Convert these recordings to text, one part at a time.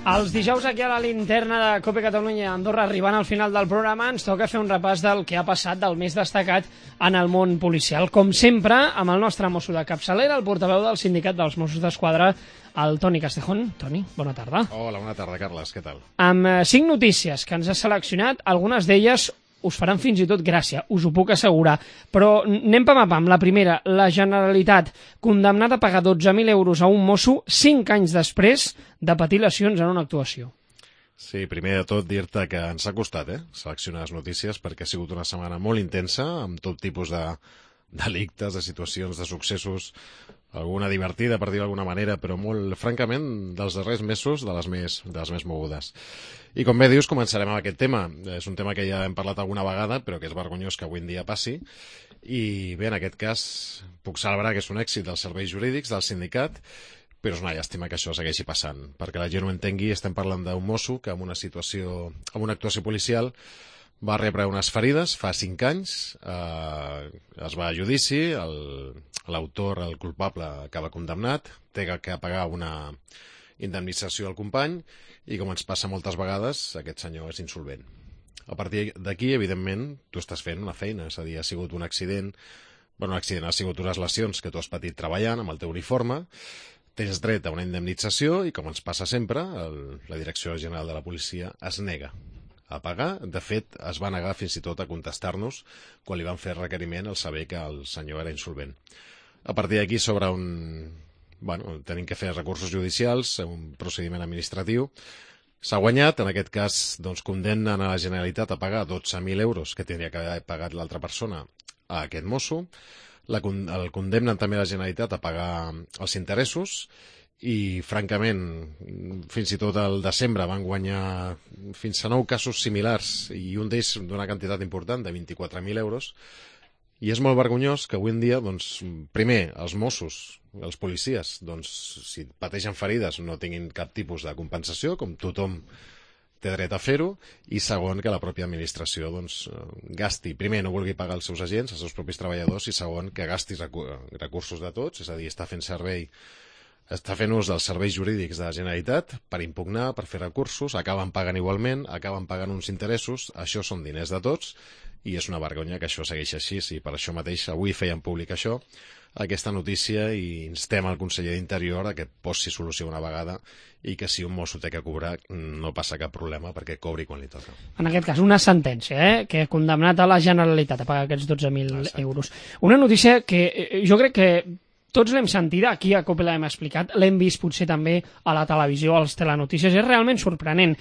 Els dijous aquí a la linterna de COPE Catalunya a Andorra, arribant al final del programa, ens toca fer un repàs del que ha passat del més destacat en el món policial. Com sempre, amb el nostre mosso de capçalera, el portaveu del Sindicat dels Mossos d'Esquadra, el Toni Castejón. Toni, bona tarda. Hola, bona tarda, Carles, què tal? Amb 5 notícies que ens ha seleccionat, algunes d'elles us faran fins i tot gràcia, us ho puc assegurar. Però anem pam a pam. La primera, la Generalitat, condemnada a pagar 12.000 euros a un mosso 5 anys després de patir lesions en una actuació. Sí, primer de tot dir-te que ens ha costat seleccionar les notícies perquè ha sigut una setmana molt intensa, amb tot tipus de delictes, de situacions, de successos, alguna divertida, per dir d'alguna manera, però molt, francament, dels darrers mesos, de les més mogudes. I com bé dius, començarem amb aquest tema. És un tema que ja hem parlat alguna vegada, però que és vergonyós que avui en dia passi. I bé, en aquest cas, puc celebrar que és un èxit dels serveis jurídics, del sindicat, però és una llàstima que això segueixi passant. Perquè la gent ho entengui, estem parlant d'un mosso que en una actuació policial va rebre unes ferides fa 5 anys, es va a judici, l'autor, el culpable, acaba condemnat, té que pagar una indemnització al company i, com ens passa moltes vegades, aquest senyor és insolvent. A partir d'aquí, evidentment, tu estàs fent una feina, és a dir, ha sigut un accident, ha sigut unes lesions que tu has patit treballant amb el teu uniforme, tens dret a una indemnització i, com ens passa sempre, la Direcció General de la Policia es nega a pagar. De fet, es va negar fins i tot a contestar-nos quan li van fer requeriment al saber que el senyor era insolvent. A partir d'aquí tenim que fer recursos judicials, un procediment administratiu. S'ha guanyat, en aquest cas condemnen a la Generalitat a pagar 12.000 euros que tindria que haver pagat l'altra persona a aquest mosso. El condemnen també a la Generalitat a pagar els interessos i, francament, fins i tot al desembre van guanyar fins a 9 casos similars i un d'ells d'una quantitat important de 24.000 euros. I és molt vergonyós que avui en dia, primer, els Mossos, els policies, si pateixen ferides no tinguin cap tipus de compensació, com tothom té dret a fer-ho, i segon, que la pròpia administració gasti, primer, no vulgui pagar els seus agents, els seus propis treballadors, i segon, que gasti recursos de tots, és a dir, està fent ús dels serveis jurídics de la Generalitat per impugnar, per fer recursos, acaben pagant igualment, acaben pagant uns interessos, això són diners de tots, i és una vergonya que això segueixi així, i per això mateix avui feien públic aquesta notícia, i instem al conseller d'Interior a que posi solució una vegada i que si un mosso té que cobrar no passa cap problema perquè cobri quan li toca. En aquest cas, una sentència que ha condemnat a la Generalitat a pagar aquests 12.000 euros. Una notícia que jo crec que tots l'hem sentida, aquí a COPE l'hem explicat, l'hem vist potser també a la televisió, als telenotícies, és realment sorprenent.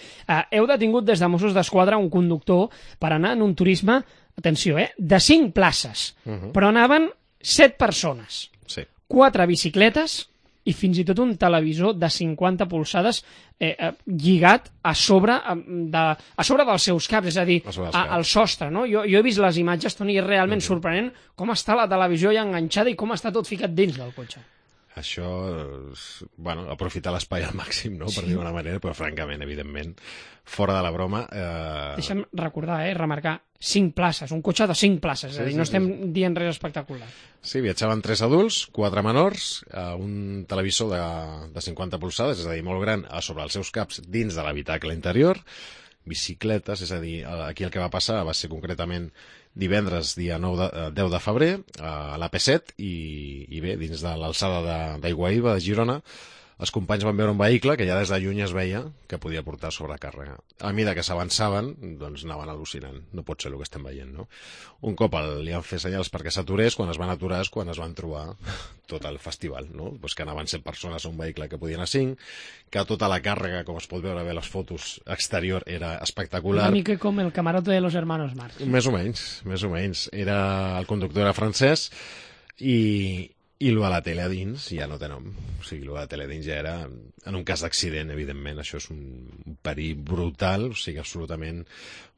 Heu detingut des de Mossos d'Esquadra un conductor per anar en un turisme, atenció, de 5 places, però anaven 7 persones, sí. 4 bicicletes i fins i tot un televisor de 50 polzades lligat a sobre dels seus caps, és a dir, al sostre, no? Jo he vist les imatges, Toni, és realment sorprenent com està la televisió ja enganxada i com està tot ficat dins del cotxe. Això, aprofitar l'espai al màxim, no? Per dir d'una manera, però francament, evidentment, fora de la broma... Deixa'm recordar, remarcar, 5 places, un cotxe de 5 places, és a dir, no estem dient res espectacular. Sí, viatjaven 3 adults, 4 menors, un televisor de 50 polzades, és a dir, molt gran, a sobre els seus caps dins de l'habitacle interior, bicicletes, és a dir, aquí el que va passar va ser concretament divendres, dia 10 de febrer, a l'AP7, i bé, dins de l'alçada d'Aiguaïba, de Girona, els companys van veure un vehicle que ja des de lluny es veia que podia portar sobrecàrrega. A mesura que s'avançaven, anaven al·lucinant. No pot ser el que estem veient, no? Un cop li han fet senyals perquè s'aturés, quan es van aturar és quan es van trobar tot el festival, no? Que anaven 7 persones a un vehicle que podien anar 5, que tota la càrrega, com es pot veure bé les fotos exterior, era espectacular. Una mica com el camarote de los hermanos Marx. Més o menys. El conductor era francès i lo de la tele a dins ja no té nom. O sigui, lo de la tele a dins ja era, en un cas d'accident, evidentment, això és un perill brutal, o sigui, absolutament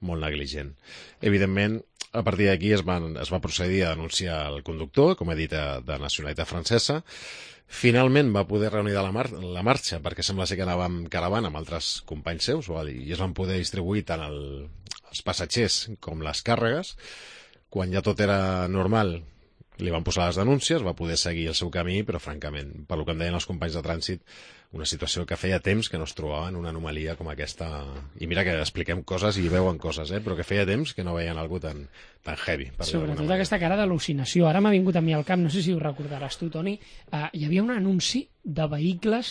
molt negligent. Evidentment, a partir d'aquí es va procedir a denunciar el conductor, com he dit, de nacionalitat francesa. Finalment va poder reunir la marxa, perquè sembla ser que anava amb caravana amb altres companys seus, i es van poder distribuir tant els passatgers com les càrregues. Quan ja tot era normal, li van posar les denúncies, va poder seguir el seu camí, però francament, pel que em deien els companys de trànsit, una situació que feia temps que no es trobaven una anomalia com aquesta. I mira que expliquem coses i veuen coses, però que feia temps que no veien algú tan heavy. Sobretot aquesta cara d'al·lucinació. Ara m'ha vingut a mi al cap, no sé si ho recordaràs tu, Toni, hi havia un anunci de vehicles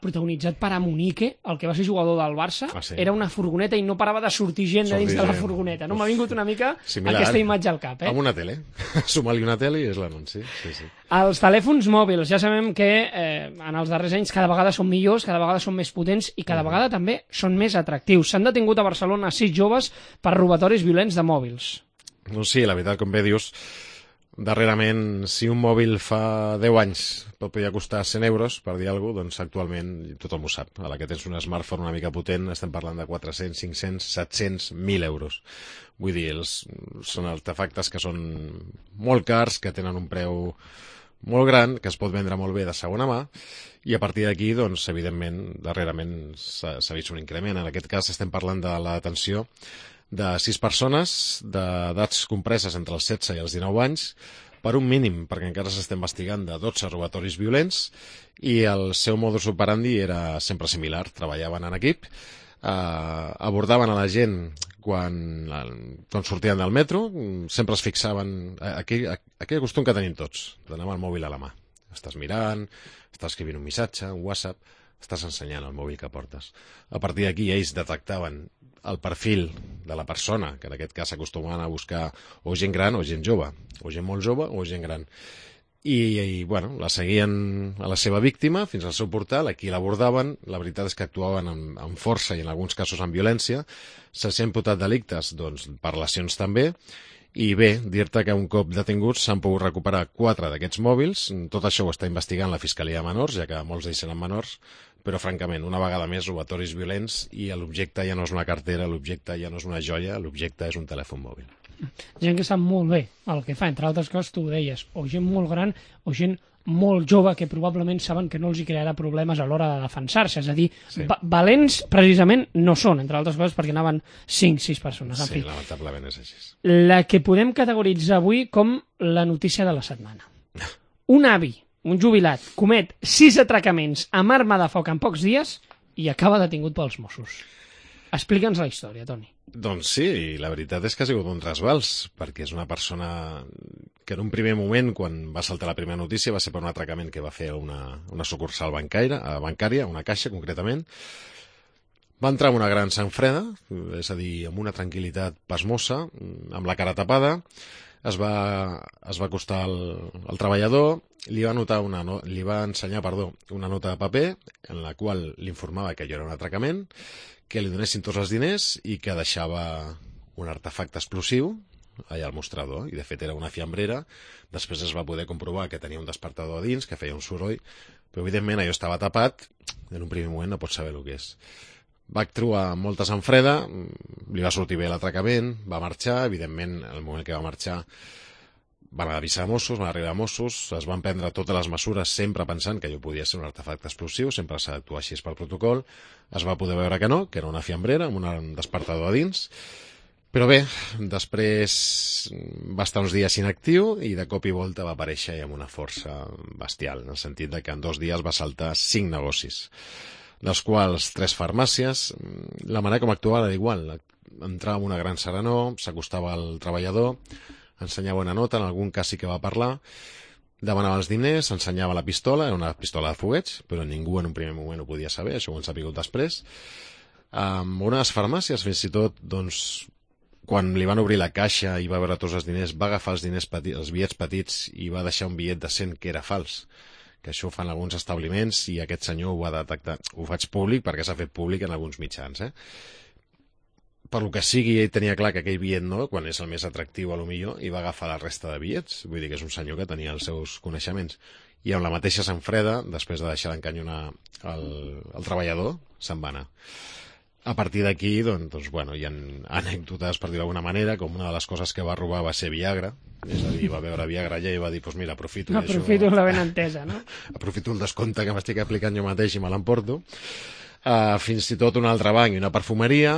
protagonitzat per Amunique, el que va ser jugador del Barça. Sí. Era una furgoneta i no parava de sortir gent de dins de la furgoneta. No m'ha vingut una mica aquesta imatge al cap. Amb una tele. Suma-li una tele i és l'anunci. Sí. Els telèfons mòbils, ja sabem que en els darrers anys cada vegada són millors, cada vegada són més potents i cada vegada també són més atractius. S'han detingut a Barcelona 6 joves per robatoris violents de mòbils. No, sí, la veritat, com bé dius, darrerament, si un mòbil fa 10 anys pot poder costar 100 euros, per dir alguna cosa, doncs actualment tothom ho sap. A la que tens un smartphone una mica potent estem parlant de 400, 500, 700, 1.000 euros. Vull dir, són artefactes que són molt cars, que tenen un preu molt gran, que es pot vendre molt bé de segona mà, i a partir d'aquí, doncs, evidentment, darrerament s'ha vist un increment. En aquest cas estem parlant de la detenció de 6 persones d'edats compreses entre els 16 i els 19 anys per un mínim, perquè encara s'està investigant, de 12 robatoris violents, i el seu modus operandi era sempre similar. Treballaven en equip, abordaven a la gent quan sortien del metro, sempre es fixaven aquell costum que tenim tots, d'anar amb el mòbil a la mà. Estàs mirant, estàs escrivint un missatge, un WhatsApp, estàs ensenyant el mòbil que portes. A partir d'aquí ells detectaven el perfil de la persona, que en aquest cas s'acostumaven a buscar o gent gran o gent jove, o gent molt jove o gent gran. I bueno, la seguien a la seva víctima fins al seu portal, aquí l'abordaven, la veritat és que actuaven amb força i en alguns casos amb violència, s'ha imputat delictes doncs, per lesions també, i bé, dir-te que un cop detinguts s'han pogut recuperar 4 d'aquests mòbils. Tot això ho està investigant la Fiscalia de Menors, ja que molts d'ells eren menors, però francament, una vegada més, robatoris violents, i l'objecte ja no és una cartera, l'objecte ja no és una joia, l'objecte és un telèfon mòbil. Gent que sap molt bé el que fa, entre altres coses, tu ho deies, o gent molt gran o gent molt jove que probablement saben que no els hi crearà problemes a l'hora de defensar-se. És a dir, sí. Valents precisament no són, entre altres coses, perquè anaven 5-6 persones. En fi, lamentablement és així. La que podem categoritzar avui com la notícia de la setmana. Un avi, un jubilat, comet 6 atracaments amb arma de foc en pocs dies i acaba detingut pels Mossos. Explica'ns la història, Toni. Doncs sí, la veritat és que ha sigut un trasbals, perquè és una persona que en un primer moment, quan va saltar la primera notícia, va ser per un atracament que va fer una sucursal bancària, una caixa concretament. Va entrar en una gran sang freda, és a dir, amb una tranquil·litat pasmosa, amb la cara tapada, es va acostar al treballador, li va ensenyar una nota de paper en la qual l'informava que allò era un atracament, que li donessin tots els diners i que deixava un artefacte explosiu allà al mostrador, i de fet era una fiambrera. Després es va poder comprovar que tenia un despertador a dins, que feia un soroll, però evidentment allò estava tapat, en un primer moment no pots saber el que és. Va actuar amb molta sang freda, li va sortir bé l'atracament, va marxar, evidentment en el moment que va marxar van avisar Mossos, van arribar Mossos, es van prendre totes les mesures sempre pensant que allò podia ser un artefacte explosiu, sempre s'ha d'actuar així pel protocol, es va poder veure que no, que era una fiambrera amb un despertador a dins, però bé, després va estar uns dies inactiu i de cop i volta va aparèixer amb una força bestial, en el sentit de que en 2 dies va saltar 5 negocis, dels quals 3 farmàcies. La manera com actuava era igual, entrava amb una gran serenor, s'acostava al treballador, ensenyava una nota, en algun cas sí que va parlar, demanava els diners, ensenyava la pistola, era una pistola de fogueig, però ningú en un primer moment ho podia saber, això ho hem sabut després. Amb unes farmàcies, fins i tot, doncs, quan li van obrir la caixa i va veure tots els diners, va agafar els diners petits, els bitllets petits, i va deixar un bitllet de 100 que era fals, que això ho fan alguns establiments, i aquest senyor ho va detectar. Ho faig públic perquè s'ha fet públic en alguns mitjans, Per lo que sigui, ell tenia clar que aquell bitllet no, quan és el més atractiu a lo millor, i va agafar la resta de bitllets. Vull dir que és un senyor que tenia els seus coneixements. I amb la mateixa sang freda, després de deixar d'encanyonar el treballador, se'n va anar. A partir d'aquí, doncs, bueno, hi ha anècdotes, per dir d'alguna manera, com una de les coses que va robar va ser Viagra, és a dir, va veure Viagra allà i va dir, doncs mira, aprofito la ben entesa, no? Aprofito un descompte que m'estic aplicant jo mateix i me l'emporto. Fins i tot un altre banc i una perfumeria,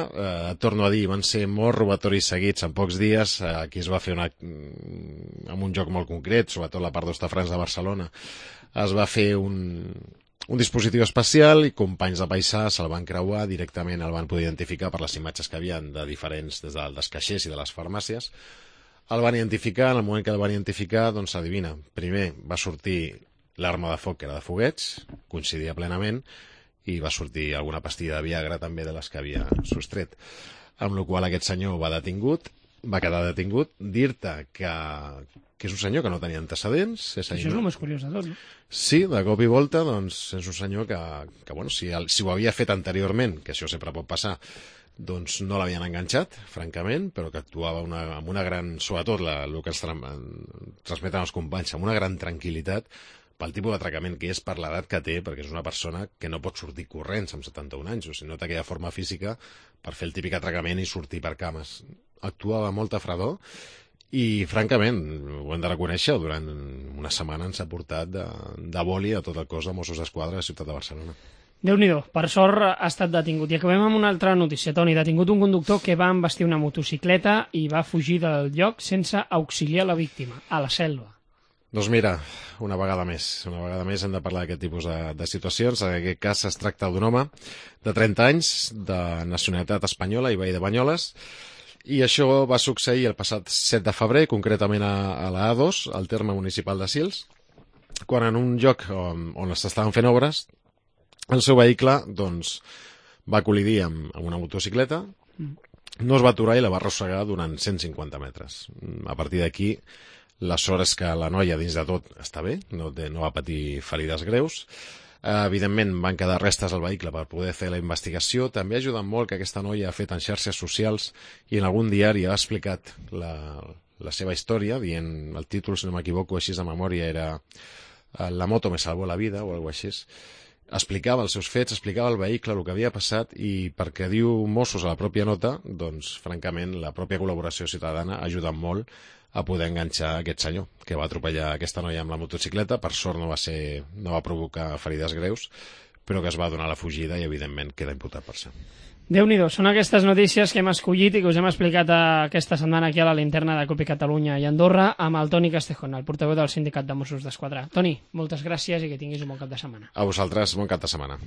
torno a dir, van ser molts robatoris seguits en pocs dies. Aquí es va fer amb un joc molt concret, sobretot la part d'Hostafrancs de Barcelona, es va fer un dispositiu especial i companys de paisà se'l van creuar, directament el van poder identificar per les imatges que havien de diferents, des dels caixers i de les farmàcies. El van identificar, en el moment que el van identificar, doncs adivina, primer va sortir l'arma de foc, que era de foguets, coincidia plenament, i va sortir alguna pastilla de Viagra també de les que havia sostret. Amb la qual aquest senyor va quedar detingut, dir-te que és un senyor que no tenia antecedents. Això és el més curiós de tot, no? Sí, de cop i volta, doncs, és un senyor que bueno, si ho havia fet anteriorment, que això sempre pot passar, doncs no l'havien enganxat, francament, però que actuava amb una gran, sobretot el que ens transmeten els companys, amb una gran tranquil·litat, pel tipus d'atracament que és, per l'edat que té, perquè és una persona que no pot sortir corrents amb 71 anys, o sigui, no té aquella forma física per fer el típic atracament i sortir per cames. Actuava amb molta fredor i, francament, ho hem de reconèixer, durant una setmana ens ha portat de boli a tot el cos de Mossos d'Esquadra de la ciutat de Barcelona. Déu-n'hi-do, per sort ha estat detingut. I acabem amb una altra notícia, Toni. Detingut un conductor que va embestir una motocicleta i va fugir del lloc sense auxiliar la víctima, a la selva. Doncs mira, una vegada més hem de parlar d'aquest tipus de situacions. En aquest cas es tracta d'un home de 30 anys, de nacionalitat espanyola i veí de Banyoles, i això va succeir el passat 7 de febrer, concretament a la A2, al terme municipal de Sils, quan en un lloc on s'estaven fent obres, el seu vehicle doncs, va col·lidir amb una motocicleta, no es va aturar i la va arrossegar durant 150 metres. A partir d'aquí, la sort és que la noia, dins de tot, està bé, no va patir ferides greus. Evidentment, van quedar restes al vehicle per poder fer la investigació. També ha ajudat molt que aquesta noia ha fet en xarxes socials i en algun diari ha explicat la seva història, dient, el títol, si no m'equivoco, així de memòria, era La moto me salvó la vida, o alguna cosa així. Explicava els seus fets, explicava el vehicle, el que havia passat, i perquè diu Mossos a la pròpia nota, doncs, francament, la pròpia col·laboració ciutadana ha ajudat molt a poder enganxar aquest senyor que va atropellar aquesta noia amb la motocicleta. Per sort no va provocar ferides greus, però que es va donar la fugida i, evidentment, queda imputat per això. Déu-n'hi-do, són aquestes notícies que hem escollit i que us hem explicat aquesta setmana aquí a la linterna de COPE Catalunya i Andorra amb el Toni Castejón, el portaveu del Sindicat de Mossos d'Esquadra. Toni, moltes gràcies i que tinguis un bon cap de setmana. A vosaltres, bon cap de setmana.